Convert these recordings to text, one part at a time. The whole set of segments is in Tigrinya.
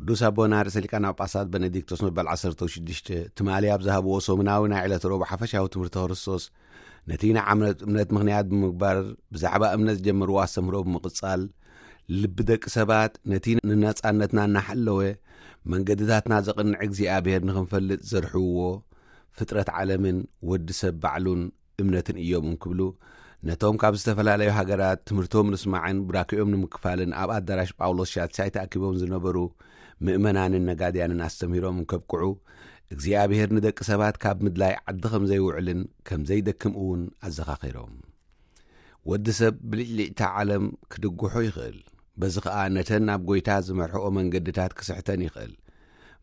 ቅዱስ ኣቦና ርእሰ ሊቃነ ጳጳሳት ቤኔዲክቶስ መበል ዓሰርተ ሽዱሽተ ትማሊ ኣብ ዝሃብዎ ሰሙናዊ ናይ ዕለተ ረቡዕ ሓፈሻዊ ትምህርቲ ክርስቶስ፣ ነቲ ንዓመት እምነት ምኽንያት ብምግባር ብዛዕባ እምነት ዝጀመርዎ ኣስተምህሮ ብምቕጻል፣ ልቢ ደቂ ሰባት ነቲ ንነጻነትና እናሓለወ መንገድታትና ዘቕንዕ እግዚኣብሔር ንኽንፈልጥ ዘርሕውዎ ፍጥረት ዓለምን ወዲ ሰብ ባዕሉን እምነትን እዮም እንክብሉ፣ ነቶም ካብ ዝተፈላለዩ ሃገራት ትምህርቶም ንስማዕን ብራኪኦም ንምክፋልን ኣብ ኣዳራሽ ጳውሎስ ሻትሻይ ተኣኪቦም ዝነበሩ ምእመናንን ነጋድያንን ኣስተምህሮም እንከብቅዑ፣ እግዚኣብሔር ንደቂ ሰባት ካብ ምድላይ ዓዲ ከም ዘይውዕልን ከም ዘይደክም እውን ኣዘኻኺሮም። ወዲ ሰብ ብልዕሊዕታ ዓለም ክድግሖ ይኽእል። በዚ ኸኣ ነተን ናብ ጐይታ ዝመርሕኦ መንገድታት ክስሕተን ይኽእል።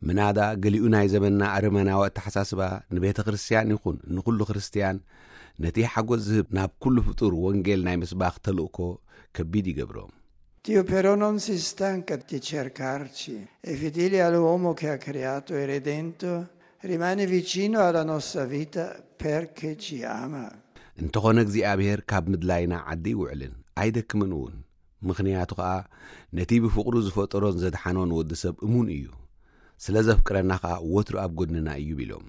ምናዳ ገሊኡ ናይ ዘመንና ኣረመናዊ ኣተሓሳስባ ንቤተ ክርስቲያን ይኹን ንኹሉ ክርስቲያን ነቲ ሓጎስ ዝህብ ናብ ኩሉ ፍጡር ወንጌል ናይ ምስባኽ ተልእኮ ከቢድ ይገብሮ። Dio però non si stanca di cercarci. È fedele all'uomo che ha creato e redento, rimane vicino alla nostra vita perché ci ama. እንተኾነ እግዚኣብሔር ካብ ምድላይና ዓዲ ይውዕልን ኣይደክምን እውን። ምኽንያቱ ኸኣ ነቲ ብፍቕሩ ዝፈጠሮን ዘድሓኖን ወዲ ሰብ እሙን እዩ። ስለ ዘፍቅረና ኸኣ ወትሩ ኣብ ጎድንና እዩ ቢሎም።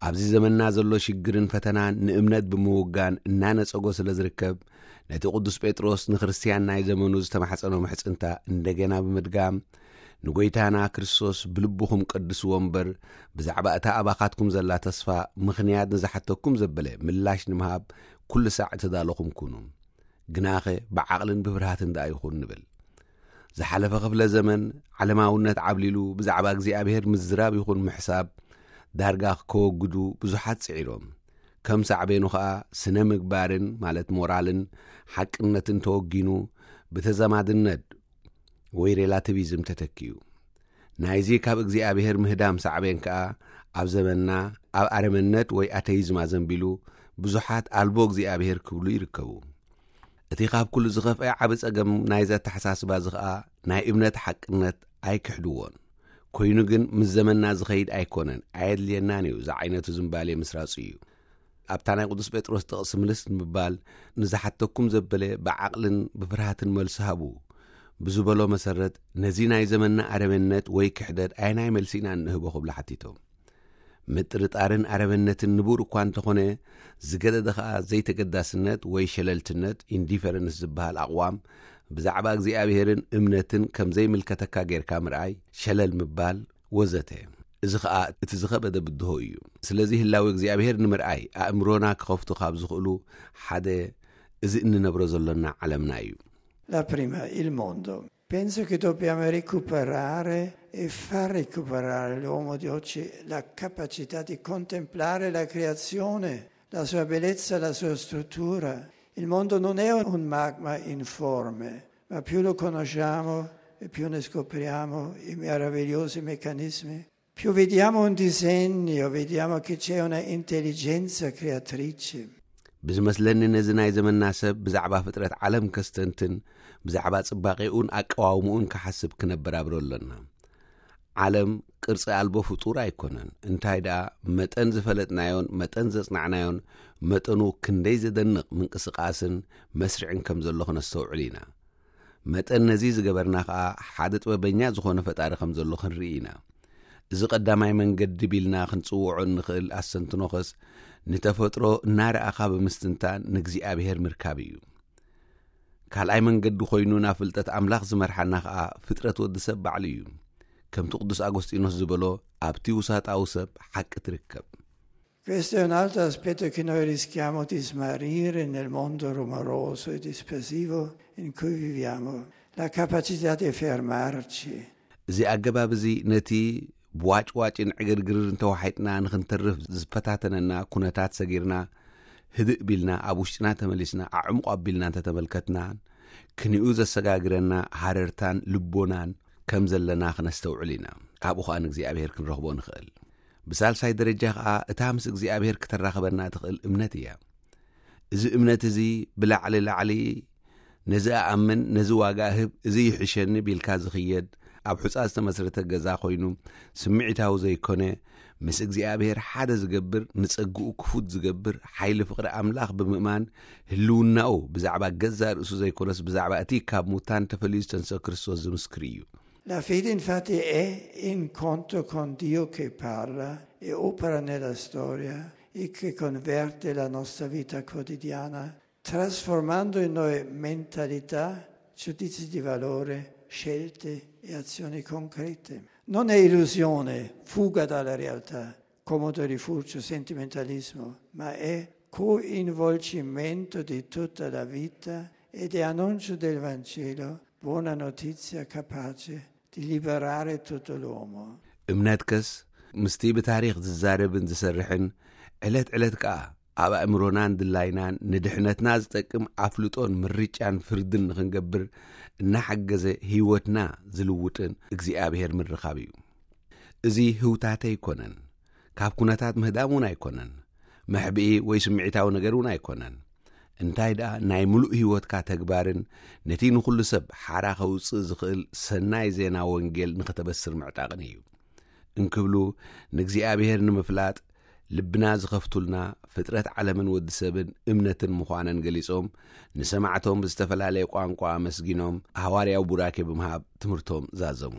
ኣብዚ ዘመንና ዘሎ ሽግርን ፈተናን ንእምነት ብምውጋን እናነጸጎ ስለ ዝርከብ፣ ነቲ ቅዱስ ጴጥሮስ ንክርስትያን ናይ ዘመኑ ዝተማሕጸኖ ምሕጽንታ እንደገና ብምድጋም፣ ንጎይታና ክርስቶስ ብልብኹም ቀድስዎ እምበር፣ ብዛዕባ እታ ኣባኻትኩም ዘላ ተስፋ ምኽንያት ንዝሓተኩም ዘበለ ምላሽ ንምሃብ ኩሉ ሳዕ እተዳለኹም ኩኑ። ግናኸ ብዓቕልን ብፍርሃትን ደኣ ይኹን ንብል። ዝሓለፈ ክፍለ ዘመን ዓለማውነት ዓብሊሉ ብዛዕባ እግዚኣብሔር ምዝራብ ይኹን ምሕሳብ ዳርጋ ከወግዱ ብዙሓት ጽዒሮም። ከም ሳዕቤኑ ኸኣ ስነ ምግባርን ማለት ሞራልን ሓቅነትን ተወጊኑ ብተዛማድነት ወይ ሬላቲቪዝም ተተኪዩ። ናይዚ ካብ እግዚኣብሔር ምህዳም ሳዕቤን ከኣ ኣብ ዘመንና ኣብ ኣረመነት ወይ ኣተይዝም ኣዘንቢሉ ብዙሓት ኣልቦ እግዚኣብሔር ክብሉ ይርከቡ። እቲ ካብ ኩሉ ዝኸፍአ ዓቢ ጸገም ናይዚ ኣተሓሳስባ እዚ ኸኣ ናይ እምነት ሓቅነት ኣይክሕድዎን። ኮይኑ ግን ምስ ዘመንና ዝኸይድ ኣይኮነን፣ ኣየድልየናን እዩ እዚ ዓይነቱ ዝምባሌ ምስራጹ እዩ። ኣብታ ናይ ቅዱስ ጴጥሮስ ጥቕሲ ምልስ ንምባል ንዝሓተኩም ዘበለ ብዓቕልን ብፍርሃትን መልሲ ሃቡ ብዝበሎ መሰረት ነዚ ናይ ዘመንና ኣረመነት ወይ ክሕደት ኣየናይ መልሲ ኢና እንህቦ ክብሉ ሓቲቶም። ምጥርጣርን ኣረመነትን ንቡር እኳ እንተኾነ ዝገደደ ኸኣ ዘይተገዳስነት ወይ ሸለልትነት ኢንዲፈረንስ ዝበሃል ኣቕዋም ብዛዕባ እግዚኣብሔርን እምነትን ከም ዘይምልከተካ ጌርካ ምርኣይ፣ ሸለል ምባል ወዘተ። እዚ ኸኣ እቲ ዝኸበደ ብድሆ እዩ። ስለዚ ህላዊ እግዚኣብሔር ንምርኣይ ኣእምሮና ክኸፍቱ ካብ ዝኽእሉ ሓደ እዚ እንነብሮ ዘሎና ዓለምና እዩ። La prima, il mondo. Penso che dobbiamo recuperare e far recuperare all'uomo di oggi la capacità di contemplare la creazione, la sua bellezza, la sua struttura. Il mondo non è un magma informe, ma più lo conosciamo e più ne scopriamo i meravigliosi meccanismi. Più vediamo un disegno, vediamo che c'è una intelligenza creatrice. ብዝመስለኒ ነዚ ናይ ዘመንና ሰብ ብዛዕባ ፍጥረት ዓለም ከስተንትን ብዛዕባ ጽባቄኡን ኣቀዋውምኡን ክሓስብ ክነብር ኣብሮ ኣለና። ዓለም ቅርጺ ኣልቦ ፍጡር ኣይኮነን። እንታይ ደኣ መጠን ዝፈለጥናዮን መጠን ዘጽናዕናዮን መጠኑ ክንደይ ዘደንቕ ምንቅስቃስን መስርዕን ከም ዘሎ ክነስተውዕል ኢና። መጠን ነዚ ዝገበርና ኸኣ ሓደ ጥበበኛ ዝኾነ ፈጣሪ ከም ዘሎ ክንርኢ ኢና። እዚ ቀዳማይ መንገዲ ቢልና ክንጽውዖ እንኽእል ኣስተንትኖኸስ ንተፈጥሮ እናረኣኻ ብምስትንታን ንእግዚኣብሔር ምርካብ እዩ። ካልኣይ መንገዲ ኮይኑ ናብ ፍልጠት ኣምላኽ ዝመርሓና ኸኣ ፍጥረት ወዲ ሰብ ባዕሉ እዩ። ከምቲ ቅዱስ ኣጎስጢኖስ ዝበሎ ኣብቲ ውሳጣዊ ሰብ ሓቂ ትርከብ። Questo è un altro aspetto che noi rischiamo di smarrire nel mondo rumoroso e dispersivo in cui viviamo, la capacità di fermarci. እዚ ኣገባብ እዚ ነቲ ብዋጭዋጭን ዕግርግርን ተዋሒጥና ንኽንተርፍ ዝፈታተነና ኩነታት ሰጊርና ህድእ ቢልና ኣብ ውሽጥና ተመሊስና ኣዕሙቕ ኣቢልና እንተተመልከትናን ክንኡ ዘሰጋግረና ሃረርታን ልቦናን ከም ዘለና ክነስተውዕል ኢና። ኣብኡ ኸኣ ንእግዚኣብሔር ክንረኽቦ ንኽእል። ብሳልሳይ ደረጃ ኸኣ እታ ምስ እግዚኣብሔር ክተራኽበና ትኽእል እምነት እያ። እዚ እምነት እዚ ብላዕሊ ላዕሊ ነዚ ኣኣምን ነዚ ዋጋ እህብ እዚ ይሕሸኒ ቢልካ ዝኽየድ ኣብ ሑጻ ዝተመስረተ ገዛ ኮይኑ ስምዒታዊ ዘይኮነ ምስ እግዚኣብሔር ሓደ ዝገብር ንጸግኡ ክፉት ዝገብር ሓይሊ ፍቕሪ ኣምላኽ ብምእማን ህልውናኡ ብዛዕባ ገዛ ርእሱ ዘይኮነስ ብዛዕባ እቲ ካብ ሙታን ተፈልዩ ዝተንስኦ ክርስቶስ ዝምስክር እዩ። La fede infatti è incontro con Dio che parla e opera nella storia e che converte la nostra vita quotidiana, trasformando in noi mentalità, giudizi di valore, scelte e azioni concrete. Non è illusione, fuga dalla realtà, comodo rifugio, sentimentalismo, ma è coinvolgimento di tutta la vita ed è annuncio del Vangelo, buona notizia capace di liberare tutto l'uomo. እምነትከስ ምስቲ ብታሪኽ ዝዛረብን ዝሰርሕን፣ ዕለት ዕለት ከኣ ኣብ ኣእምሮናን ድላይናን ንድሕነትና ዝጠቅም ኣፍልጦን ምርጫን ፍርድን ንኽንገብር እናሓገዘ ህይወትና ዝልውጥን እግዚኣብሔር ምርኻብ እዩ። እዚ ህውታተ ኣይኮነን፣ ካብ ኩነታት ምህዳም እውን ኣይኮነን፣ መሕብኢ ወይ ስምዒታዊ ነገር እውን ኣይኮነን። እንታይ ደኣ ናይ ምሉእ ህይወትካ ተግባርን ነቲ ንኹሉ ሰብ ሓራ ከውፅእ ዝኽእል ሰናይ ዜና ወንጌል ንኽተበስር ምዕጣቕን እዩ። እንክብሉ ንእግዚኣብሔር ንምፍላጥ ልብና ዝኸፍቱልና ፍጥረት ዓለምን ወዲ ሰብን እምነትን ምዃነን ገሊጾም፣ ንሰማዕቶም ብዝተፈላለየ ቋንቋ ኣመስጊኖም፣ ሃዋርያዊ ቡራኬ ብምሃብ ትምህርቶም ዛዘሙ።